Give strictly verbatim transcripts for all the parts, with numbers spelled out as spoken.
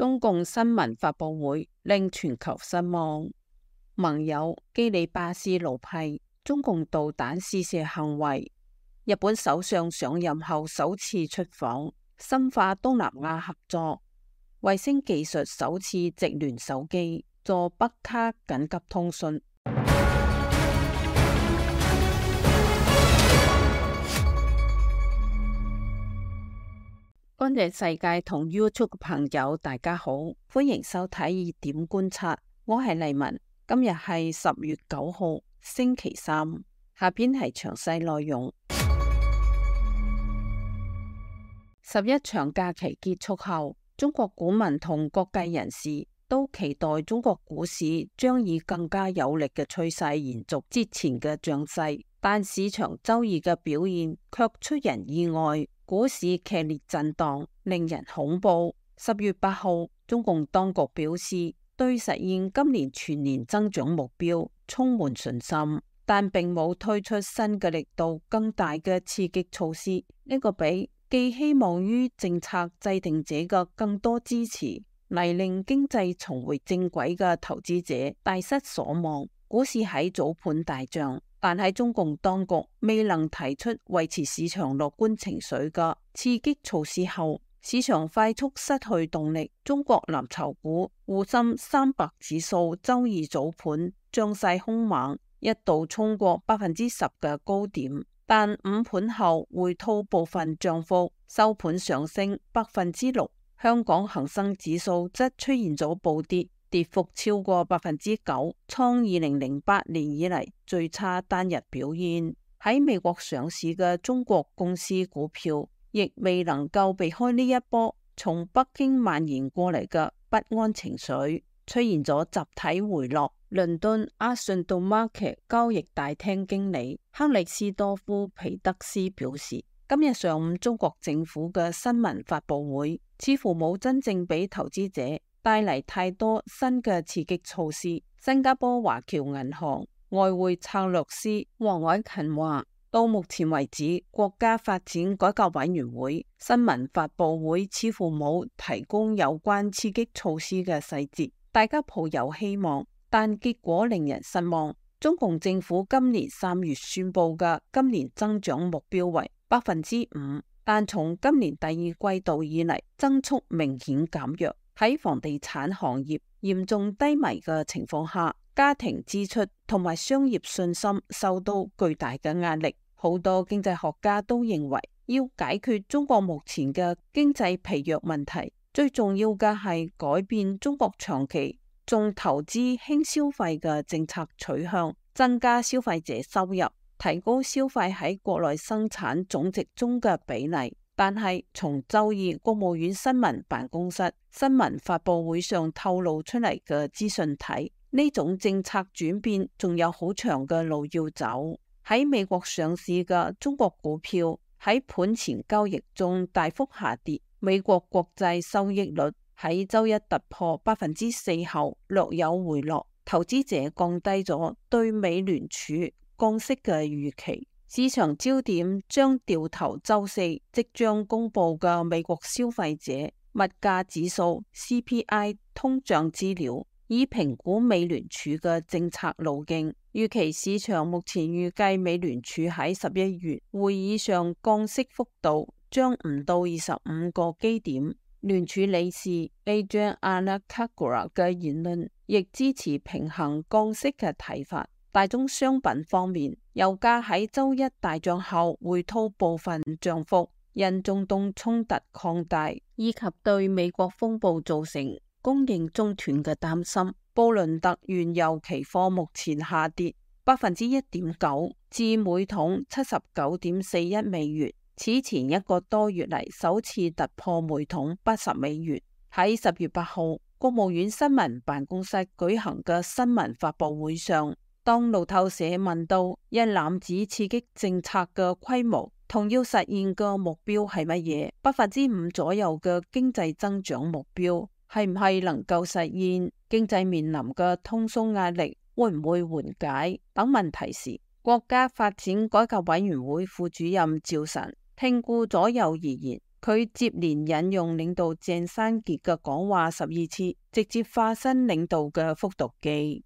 中共新聞發佈會令全球失望。盟友基里巴斯怒批中共導彈試射行為。日本首相上任後首次出訪，深化東南亞合作。衛星技術首次直聯手機，助北卡緊急通訊。乾淨世界同 YouTube 嘅朋友大家好，歡迎收睇熱點觀察，我係麗文。今日係十月九號星期三，下邊係詳細內容。十一長假期結束後，中國股民同各界人士都期待中國股市將以更加有力嘅趨勢延續之前嘅漲勢，但市場周二嘅表現卻出人意外，股市劇烈震盪，令人恐怖。十月八號，中共當局表示對實現今年全年增長目標充滿信心，但並冇推出新嘅力度更大嘅刺激措施。呢、這個比寄希望於政策制定者嘅更多支持嚟令經濟重回正軌嘅投資者大失所望。股市喺早盤大漲，但喺中共當局未能提出維持市場樂觀情緒嘅刺激措施後，市場快速失去動力。中國藍籌股滬深三百指數周二早盤漲勢兇猛，一度衝過百分之十嘅高點，但午盤後回吐部分漲幅，收盤上升百分之六。香港恒生指數則出現咗暴跌，跌幅超過百分之九，創二零零八年以嚟最差單日表現。喺美國上市嘅中國公司股票亦未能夠避開呢一波從北京蔓延過嚟嘅不安情緒，出現咗集體回落。倫敦阿信道 Market 交易大廳經理克里斯多夫皮德斯表示，今日上午中國政府嘅新聞發佈會似乎冇真正俾投資者帶嚟太多新嘅刺激措施。新加坡華僑銀行外匯策略師黃偉勤話，到目前為止，國家發展改革委員會新聞發佈會似乎冇提供有關刺激措施嘅細節，大家抱有希望，但結果令人失望。中共政府今年三月宣布嘅今年增長目標為百分之五，但從今年第二季度以嚟，增速明顯減弱。喺房地產行業嚴重低迷嘅情況下，家庭支出同埋商業信心受到巨大嘅壓力。好多經濟學家都認為，要解決中國目前嘅經濟疲弱問題，最重要嘅係改變中國長期重投資輕消費嘅政策取向，增加消費者收入，提高消費喺國內生產總值中嘅比例。但係從周二國務院新聞辦公室新聞發佈會上透露出嚟嘅資訊睇，呢種政策轉變仲有好長嘅路要走。喺美國上市嘅中國股票喺盤前交易中大幅下跌，美國國債收益率喺周一突破百分之四後略有回落，投資者降低咗對美聯儲降息嘅預期。市場焦點將掉頭周四即將公布嘅美國消費者物價指數 C P I 通脹資料，以評估美聯儲嘅政策路徑。預期市場目前預計美聯儲喺十一月會議上降息幅度將唔到二十五個基點。聯儲理事 Adrian Anacagua 嘅言論亦支持平衡降息嘅睇法。大宗商品方面，油價喺周一大漲後回吐部分漲幅，因中東衝突擴大以及對美國風暴造成供應中斷嘅擔心，布倫特原油期貨目前下跌百分之一點九至每桶七十九點四一美元，此前一個多月嚟首次突破每桶八十美元。喺十月八號國務院新聞辦公室舉行嘅新聞發佈會上，當路透社問到一攬子刺激政策嘅規模同要實現嘅目標係乜嘢，百分之五左右嘅經濟增長目標係唔係能夠實現，經濟面臨嘅通縮壓力會唔會緩解等問題時，國家發展改革委員會副主任趙晨聽顧左右而言，佢接連引用領導鄭山傑嘅講話十二次，直接化身領導嘅復讀機。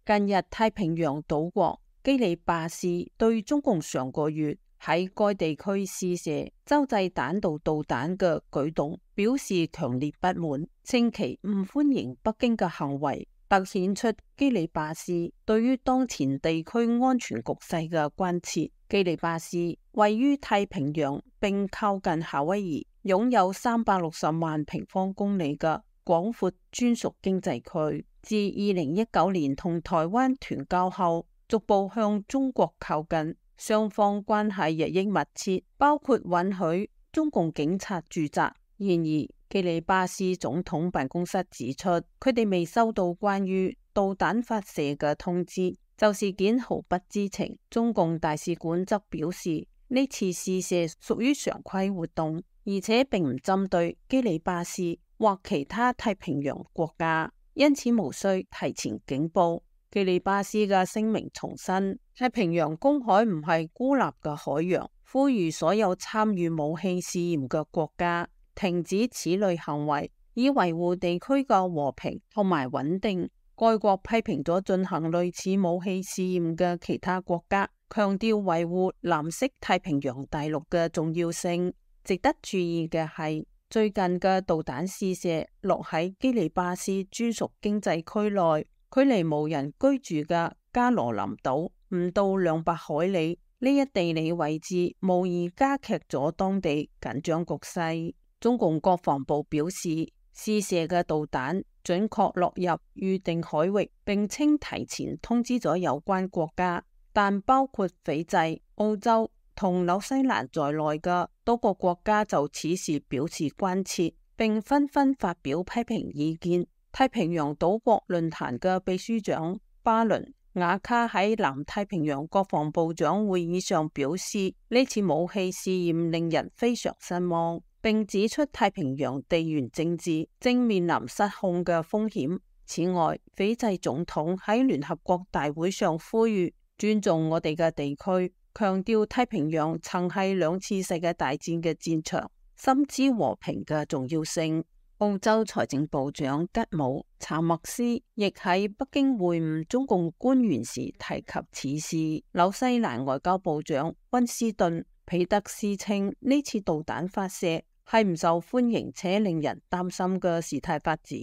近日，太平洋島國基里巴斯對中共上個月喺該地區試射洲際彈道導彈嘅舉動表示強烈不滿，稱其唔歡迎北京嘅行為，凸顯出基里巴斯對於當前地區安全局勢嘅關切。基里巴斯位於太平洋並靠近夏威夷，擁有三百六十萬平方公里嘅廣闊專屬經濟區。自二零一九年同台灣斷交後，逐步向中國靠近，雙方關係日益密切，包括允許中共警察駐紮。然而，基里巴斯總統辦公室指出，佢哋未收到關於導彈發射嘅通知，就事件毫不知情。中共大使館則表示，呢次試射屬於常規活動，而且並唔針對基里巴斯或其他太平洋國家，因此無需提前警報。基里巴斯嘅聲明重申，太平洋公海唔係孤立嘅海洋，呼籲所有參與武器試驗嘅國家停止此類行為，以維護地區嘅和平同埋穩定。該國批評咗進行類似武器試驗嘅其他國家，強調維護藍色太平洋大陸嘅重要性。值得注意嘅係，最近嘅導彈試射落喺基里巴斯專屬經濟區內，距離無人居住嘅加羅林島唔到兩百海里。呢一地理位置無疑加劇咗當地緊張局勢。中共國防部表示，試射嘅導彈準確落入預定海域，並稱提前通知咗有關國家，但包括斐濟、澳洲同紐西蘭在內嘅多個國家就此事表示關切，並紛紛發表批評意見。太平洋島國論壇嘅秘書長巴倫瓦卡喺南太平洋國防部長會議上表示，呢次武器試驗令人非常失望，並指出太平洋地緣政治正面臨失控嘅風險。此外，斐濟總統喺聯合國大會上呼籲尊重我哋嘅地區，強調太平洋曾係兩次世界大戰嘅戰場，深知和平嘅重要性。澳洲財政部長吉姆查默斯亦喺北京會晤中共官員時提及此事。紐西蘭外交部長溫斯頓彼得斯稱，呢次導彈發射係唔受歡迎且令人擔心嘅事態發展。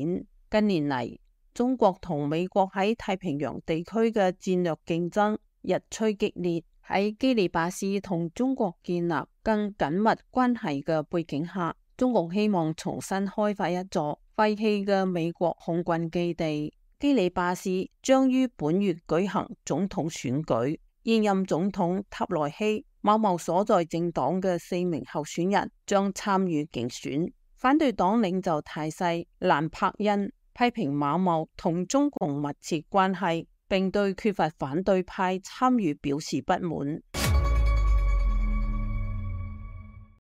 近年嚟，中國同美國喺太平洋地區嘅戰略競爭日趨激烈。喺基里巴斯同中國建立更緊密關係嘅背景下，中共希望重新開發一座廢棄嘅美國空軍基地。基里巴斯將於本月舉行總統選舉，現任總統塔內希、馬茂所在政黨嘅四名候選人將參與競選。反對黨領袖泰西蘭柏恩批評馬茂同中共密切關係，並對缺乏反對派參與表示不滿。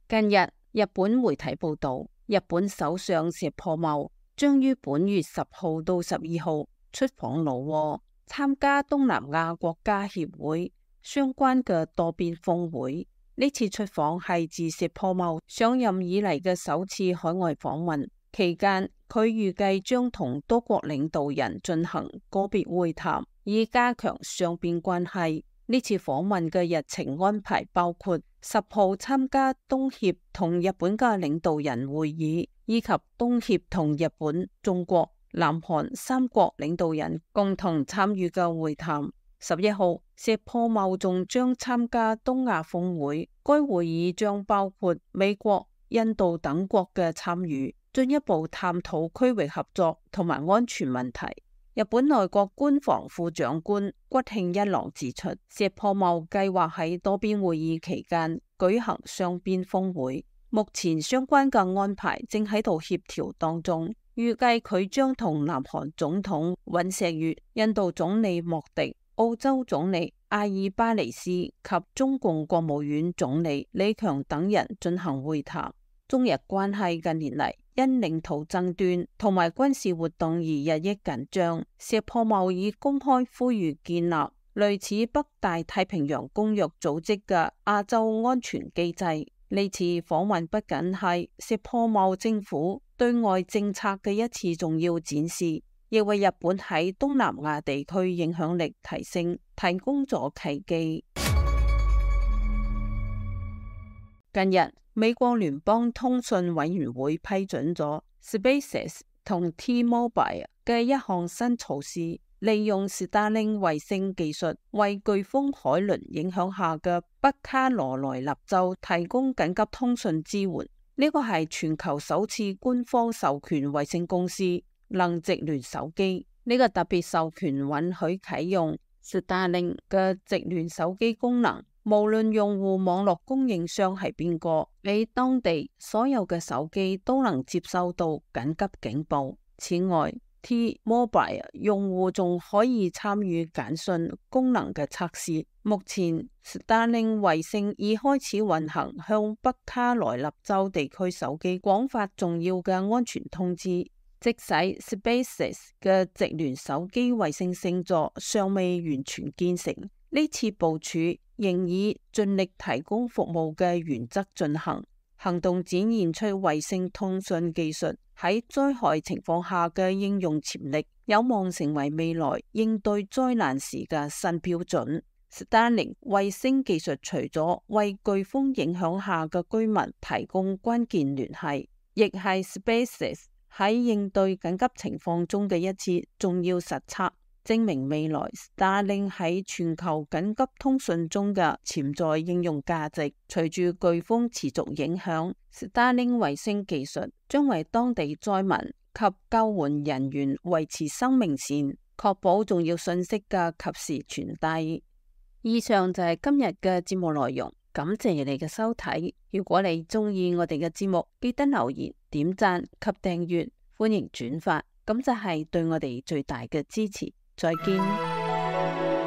近日，日本媒體報道，日本首相石破茂將於本月十號到十二號出訪老撾，參加東南亞國家協會相關嘅多邊峰會。呢次出訪係自石破茂上任以嚟嘅首次海外訪問，期間佢預計將同多國領導人進行個別會談，以加強雙邊關係。呢次訪問嘅日程安排包括十號參加東協同日本嘅領導人會議，以及東協同日本、中國、南韓三國領導人共同參與嘅會談。十一號，石破茂仲將參加東亞峰會，該會議將包括美國、印度等國嘅參與，進一步探討區域合作同埋安全問題。日本內閣官房副長官谷慶一郎指出，石破茂計劃喺多邊會議期間舉行雙邊峰會，目前相關嘅安排正喺度協調當中，預計佢將同南韓總統尹錫悅、印度總理莫迪、澳洲總理阿爾巴尼斯及中共國務院總理李強等人進行會談。中日關係近年嚟因領土爭端同埋軍事活動而日益緊張。石破茂已公開呼籲建立類似北大太平洋公約組織嘅亞洲安全機制。呢次訪問不僅係石破茂政府對外政策嘅一次重要展示，亦為日本喺東南亞地區影響力提升提供咗契機。近日，美國聯邦通訊委員會批准咗 SpaceX 同 T-Mobile 嘅一項新措施，利用 Starlink 衛星技術為颶風海倫影響下嘅北卡羅來納州提供緊急通訊支援。呢個係全球首次官方授權衛星公司能直聯手機。呢個特別授權允許啟用 Starlink 嘅直聯手機功能，無論用戶網絡供應商係邊個，喺當地所有嘅手機都能接收到緊急警報。此外，T-Mobile 用戶仲可以參與簡訊功能嘅測試。目前 Starlink 衛星已開始運行向北卡羅來納州地區手機廣發重要嘅安全通知。即使 SpaceX 嘅直聯手機衛星星座尚未完全建成，呢次部署仍以盡力提供服務嘅原則進行。行動展現出衛星通訊技術喺災害情況下嘅應用潛力，有望成為未來應對災難時嘅新標準。Starlink 衛星技術除咗為颶風影響下嘅居民提供關鍵聯繫，亦係 SpaceX 喺應對緊急情況中嘅一次重要實測，證明未來 Starlink 喺全球緊急通訊中嘅潛在應用價值。隨住颶風持續影響，Starlink 衛星技術將為當地災民及救援人員維持生命線，確保重要信息嘅及時傳遞。以上就係今日嘅節目內容，感謝你嘅收睇。如果你中意我哋嘅節目，記得留言、點讚及訂閱，歡迎轉發，咁就係對我哋最大嘅支持。再見。